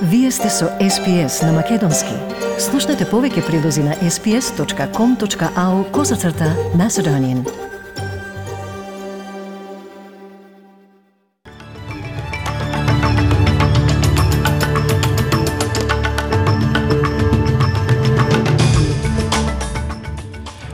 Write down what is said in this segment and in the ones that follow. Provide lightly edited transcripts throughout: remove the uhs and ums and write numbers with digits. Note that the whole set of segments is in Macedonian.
Вие сте со SPS на Македонски. Слушнете повеќе прилози на sps.com.au/Macedonian.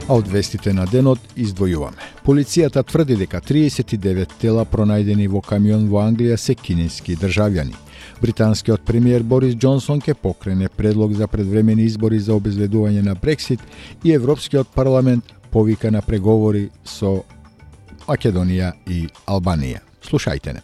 А од вестите на денот издвојуваме. Полицијата тврди дека 39 тела пронајдени во камион во Англија се кинески државјани. Британскиот премиер Борис Џонсон ќе покрене предлог за предвремени избори за обезвредување на Брексит и Европскиот парламент повика на преговори со Македонија и Албанија. Слушајте не.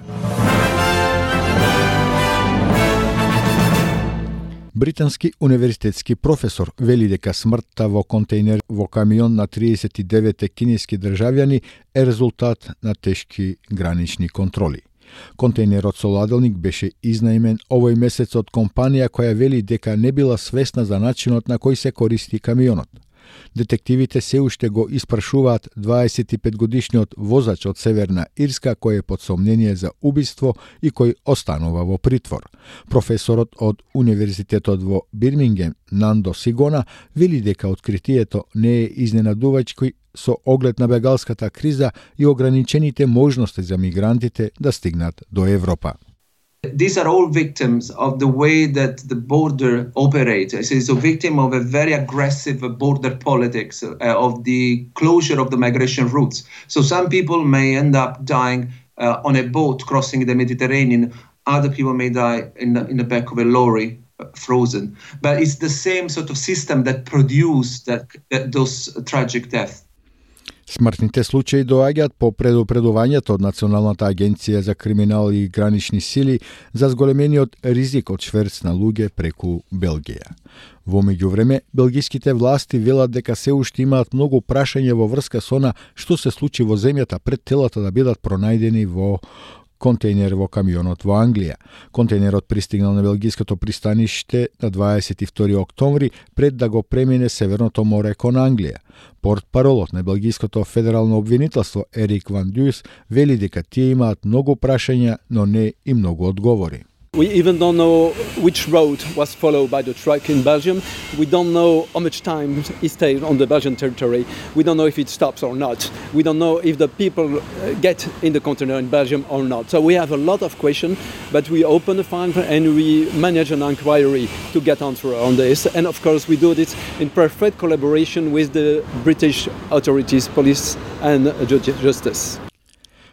Британски универзитетски професор вели дека смртта во контејнер во камион на 39 кинески државјани е резултат на тешки гранични контроли. Контејнерот со ладелник беше изнајмен овој месец од компанија која вели дека не била свесна за начинот на кој се користи камионот. Детективите се уште го испрашуваат 25-годишниот возач од Северна Ирска кој е под сомнение за убиство и кој останува во притвор. Професорот од Универзитетот во Бирмингем, Нандо Сигона, вели дека откритието не е изненадувачки со оглед на бегалската криза и ограничените можности за мигрантите да стигнат до Европа. These are all victims of the way that the border operates. It's a victim of a very aggressive border politics, of the closure of the migration routes. So some people may end up dying on a boat crossing the Mediterranean. Other people may die in the back of a lorry, frozen. But it's the same sort of system that produced those tragic deaths. Смртните случаи доаѓаат по предупредувањето од Националната агенција за криминал и гранични сили за зголемениот ризик од шверц на луѓе преку Белгија. Во меѓувреме, белгиските власти велат дека се уште имаат многу прашања во врска со она што се случи во земјата пред телата да бидат пронајдени во контејнер во камионот во Англија. Контејнерот пристигнал на белгиското пристаниште на 22 октомври пред да го премине Северното море кон Англија. Портпаролот на белгиското федерално обвинителство Ерик Ван Дюс вели дека тие имаат многу прашања, но не и многу одговори. We even don't know which road was followed by the truck in Belgium. We don't know how much time it stayed on the Belgian territory. We don't know if it stops or not. We don't know if the people get in the container in Belgium or not. So we have a lot of questions, but we open the file and we manage an inquiry to get answer on this. And of course we do this in perfect collaboration with the British authorities, police and justice.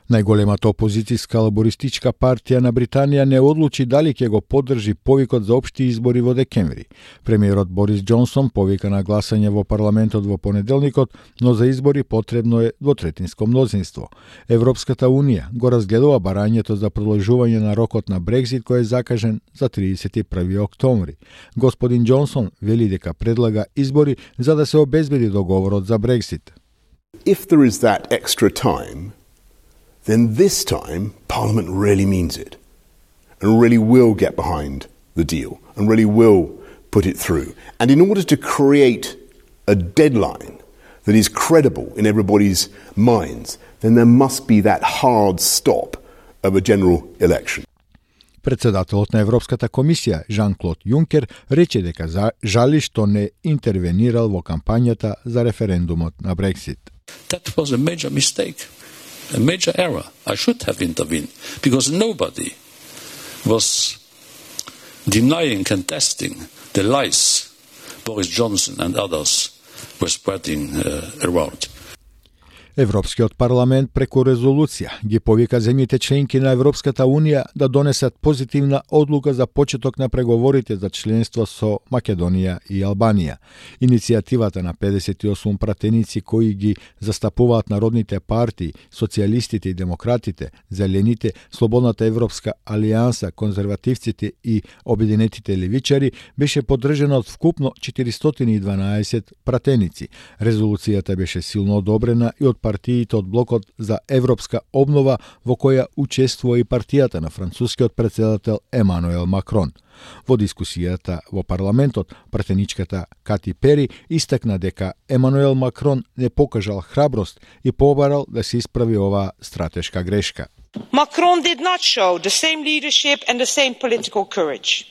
Најголемата опозицијска лабористичка партија на Британија не одлучи дали ќе го поддржи повикот за општи избори во декември. Премиерот Борис Џонсон повика на гласање во парламентот во понеделникот, но за избори потребно е двотретинско мнозинство. Европската унија го разгледува барањето за продолжување на рокот на Брекзит кој е закажен за 31 октомври. Господин Џонсон вели дека предлага избори за да се обезбеди договорот за Брекзит. If there is that extra time, then this time Parliament really means it and really will get behind the deal and really will put it through. And in order to create a deadline that is credible in everybody's minds, then there must be that hard stop of a general election. Председателот на Европската комисија, Жан-Клод Јункер, рече дека жали што не интервенирал во кампањата за референдумот на Брексит. That was a major mistake. A major error. I should have intervened because nobody was denying, contesting the lies Boris Johnson and others were spreading around. Европскиот парламент преку резолуција ги повика земјите членки на Европската Унија да донесат позитивна одлука за почеток на преговорите за членство со Македонија и Албанија. Иницијативата на 58 пратеници кои ги застапуваат народните партии, социјалистите и демократите, зелените, Слободната Европска алијанса, конзервативците и обединетите левичари беше поддржана од вкупно 412 пратеници. Резолуцијата беше силно одобрена и од партиите од блокот за европска обнова во која учествува и партијата на францускиот претседател Емануел Макрон. Во дискусијата во парламентот, пратеничката Кати Пери истакна дека Емануел Макрон не покажал храброст и побарал да се исправи оваа стратешка грешка. Macron did not show the same leadership and the same political courage.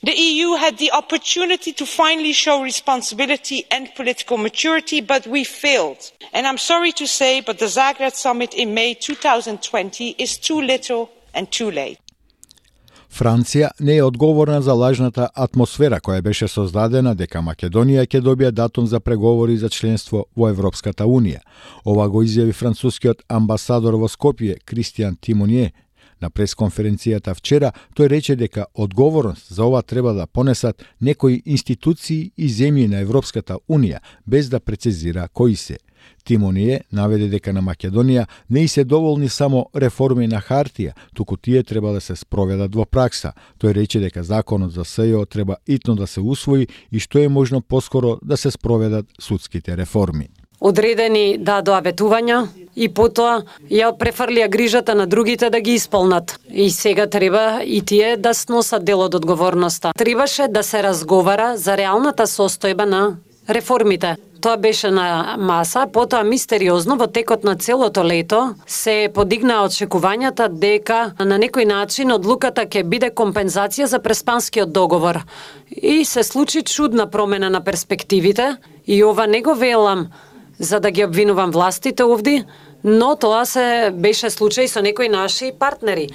The EU had the opportunity to finally show responsibility and political maturity, but we failed. And I'm sorry to say, but the Zagreb summit in May 2020 is too little and too late. Франција не е одговорна за лажната атмосфера која беше создадена дека Македонија ќе добие датум за преговори за членство во Европската Унија. Ова го изјави францускиот амбасадор во Скопје Кристијан Тимонје. На пресконференцијата вчера тој рече дека одговорност за ова треба да понесат некои институции и земји на Европската Унија, без да прецизира кои се. Тимоние наведе дека на Македонија не и се доволни само реформи на хартија, туку тие треба да се спроведат во пракса. Тој рече дека законот за СЈО треба итно да се усвои и што е можно поскоро да се спроведат судските реформи. Одредени дадоа ветувања и потоа ја префрлија грижата на другите да ги исполнат. И сега треба и тие да сносат дел од одговорноста. Требаше да се разговара за реалната состојба на реформите. Тоа беше на маса, потоа мистериозно во текот на целото лето се подигнаа очекувањата дека на некој начин одлуката ќе биде компензација за преспанскиот договор. И се случи чудна промена на перспективите и ова не го велам за да ги обвинувам властите овде, но тоа се беше случај со некои наши партнери.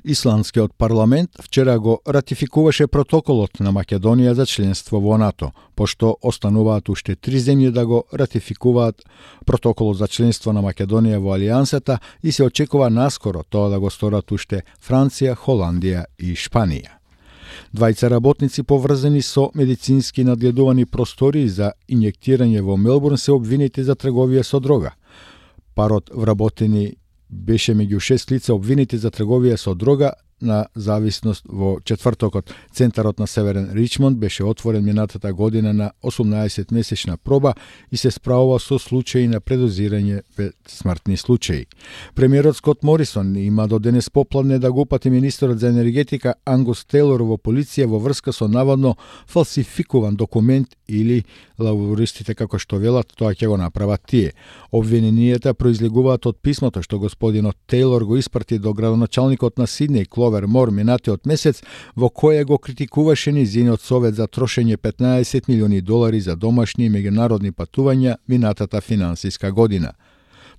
Исландскиот парламент вчера го ратификуваше протоколот на Македонија за членство во НАТО, пошто остануваат уште 3 земји да го ратификуваат протоколот за членство на Македонија во Алијансата и се очекува наскоро тоа да го сторат уште Франција, Холандија и Шпанија. Двајца работници поврзани со медицински надгледувани простори за инјектирање во Мелбурн се обвинети за трговија со дрога. Парот вработени беше меѓу 6 лица обвинети за трговија со дрога на зависност во четвртокот. Центарот на Северен Ричмонд беше отворен минатата година на 18-месечна проба и се справува со случаи на предозирање без смртни случаи. Премиерот Скот Морисон има до денес попладне да го упати министерот за енергетика Ангус Тейлор во полиција во врска со наводно фалсификуван документ или лабористите како што велат, тоа ќе го направат тие. Обвиненијата произлегуваат од писмото што господинот Тейлор го испрати до градоначалникот на Сиднеј Кловер Мор минатиот месец, во кое го критикуваше низиниот совет за трошење $15 милиони за домашни и меѓународни патувања минатата финансиска година.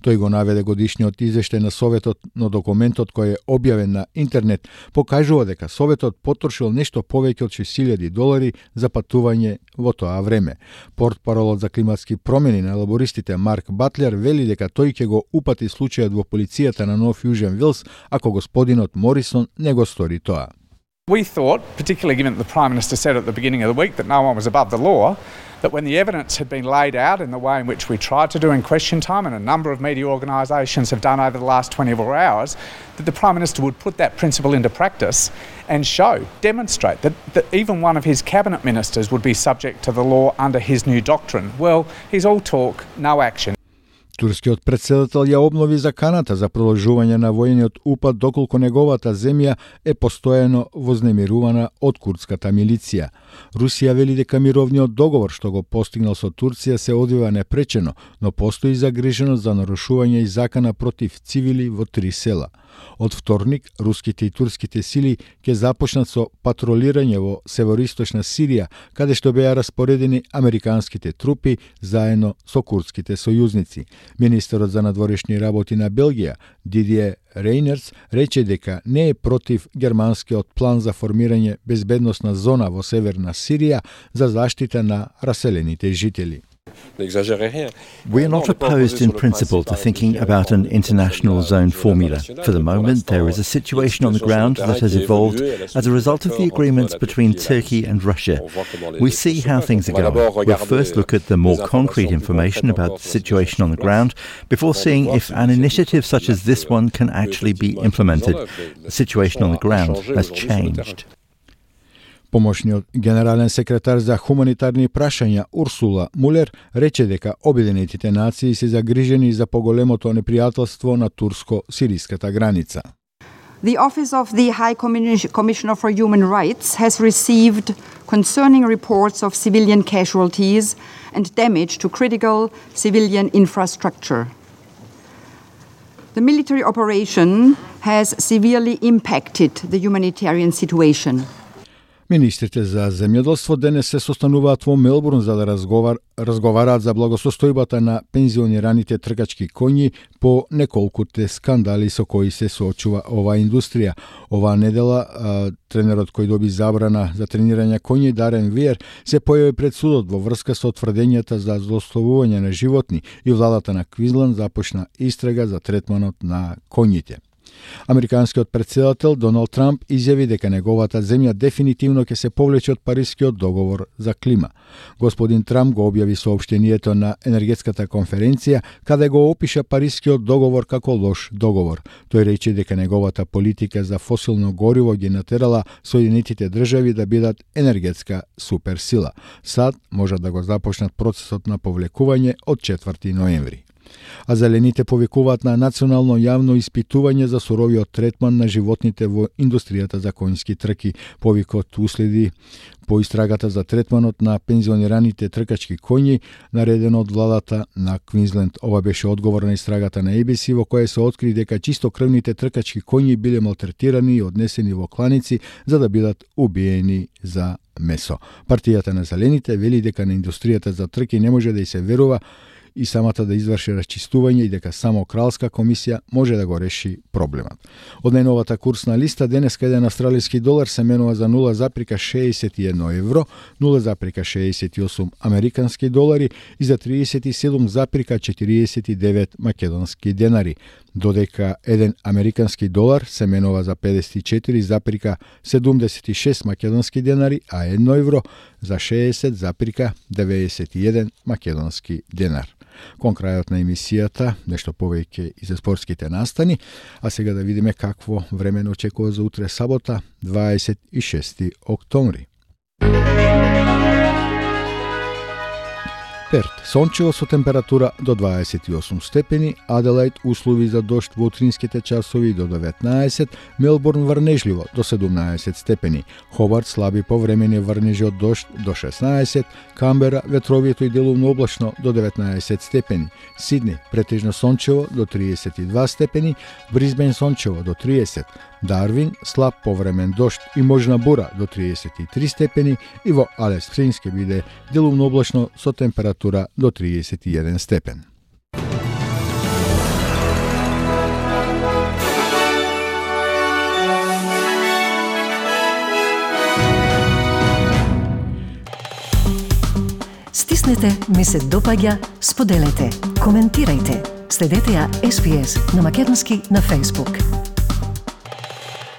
Тој го наведе годишниот извештај на Советот, но документот кој е објавен на интернет покажува дека Советот потрошил нешто повеќе од $6,000 за патување во тоа време. Портпаролот за климатски промени на лабористите Марк Батлер вели дека тој ќе го упати случајот во полицијата на Нов Јужен Вилс ако господинот Морисон не го стори тоа. We thought, particularly given that the Prime Minister said at the beginning of the week that no one was above the law, that when the evidence had been laid out in the way in which we tried to do in question time and a number of media organisations have done over the last 24 hours, that the Prime Minister would put that principle into practice and demonstrate that even one of his cabinet ministers would be subject to the law under his new doctrine. Well, he's all talk, no action. Турскиот претседател ја обнови заканата за продолжување на војниот упад доколку неговата земја е постојано вознемирувана од курдската милиција. Русија вели дека мировниот договор што го постигнал со Турција се одвива непречено, но постои загриженост за нарушување и закана против цивили во 3 села. Од вторник, руските и турските сили ќе започнат со патролирање во североисточна Сирија, каде што беа распоредени американските трупи заедно со курдските сојузници. Министерот за надворешни работи на Белгија, Дидие Рейнерс, рече дека не е против германскиот план за формирање безбедносна зона во северна Сирија за заштита на раселените жители. We are not opposed in principle to thinking about an international zone formula. For the moment, there is a situation on the ground that has evolved as a result of the agreements between Turkey and Russia. We see how things are going. We'll first look at the more concrete information about the situation on the ground before seeing if an initiative such as this one can actually be implemented. The situation on the ground has changed. Помошниот генерален секретар за хуманитарни прашања Урсула Мулер рече дека Обединетите нации се загрижени за поголемото непријателство на турско-сириската граница. The Office of the High Commissioner for Human Rights has received concerning reports of civilian casualties and damage to critical civilian infrastructure. The military operation has severely impacted the humanitarian situation. Министрите за земјоделство денес се состануваат во Мелбурн за да разговараат за благосостојбата на пензионираните тркачки коњи по неколкуте скандали со кои се соочува оваа индустрија. Оваа недела тренерот кој доби забрана за тренирање коњи Дарен Виер се појави пред судот во врска со тврдењата за злословување на животни и владата на Квинсленд започна истрага за третманот на коњите. Американскиот претседател Доналд Трамп изјави дека неговата земја дефинитивно ќе се повлече од Парискиот договор за клима. Господин Трамп го објави соопштението на енергетската конференција, каде го опиша Парискиот договор како лош договор. Тој рече дека неговата политика за фосилно гориво ги натерала Соединетите држави да бидат енергетска суперсила. Сад можат да го започнат процесот на повлекување од 4 ноември. А зелените повикуваат на национално јавно испитување за суровиот третман на животните во индустријата за конјски трки. Повикот уследи по истрагата за третманот на пензионираните тркачки коњи, наредено од владата на Квинсленд. Ова беше одговор на истрагата на ABC, во која се откри дека чистокрвните тркачки коњи биле малтретирани и однесени во кланици за да бидат убиени за месо. Партијата на зелените вели дека на индустријата за трки не може да и се верува и самата да изврши расчистување и дека само Кралска комисија може да го реши проблемот. Од најновата курсна листа денеска еден австралиски долар се менува за 0,61 евро, 0,68 американски долари и за 37,49 македонски денари, додека еден американски долар се менува за 54,76 македонски денари, а 1 евро за 60,91 македонски денар. Кон крајот на емисијата, нешто повеќе и за спортските настани, а сега да видиме какво време не очекува за утре сабота, 26 октомври. Перт, сончево со температура до 28 степени, Аделаид услови за дожд во утринските часови до 19, Мелбурн врнежливо до 17 степени, Хобарт слаби повремени врнежи од дожд до 16, Камбера ветровито и делумно облачно до 19 степени, Сидни претежно сончево до 32 степени, Брисбен сончево до 30, Дарвин слаб повремен дожд и можна бура до 33 степени и во Алис Спрингс ќе биде делумно облачно со температура до 31 степен. Стиснете, ми се допаѓа, споделете, коментирајте. Следете ја SPS на Македонски на Facebook.